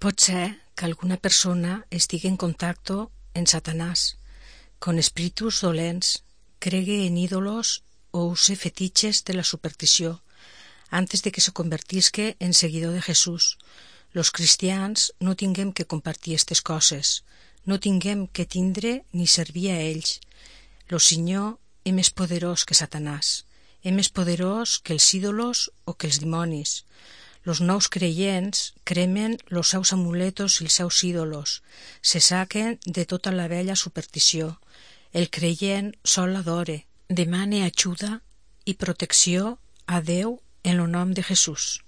Pot ser que alguna persona estigui en contacto en Satanás, con espíritus dolents, cregue en ídolos o use fetiches de la superstició, antes de que se convertisque en seguidor de Jesús. Los cristians no tinguem que compartir estes coses, no tinguem que tindre ni servir a ells. Lo Senyor és més poderós que Satanàs, és més poderós que els ídolos o que els dimonis. Los nous creients cremen los seus amuletos i els seus ídolos, se saquen de tota la vella superstició. El creient sol l'adore, demane ajuda i protecció a Déu en lo nom de Jesús.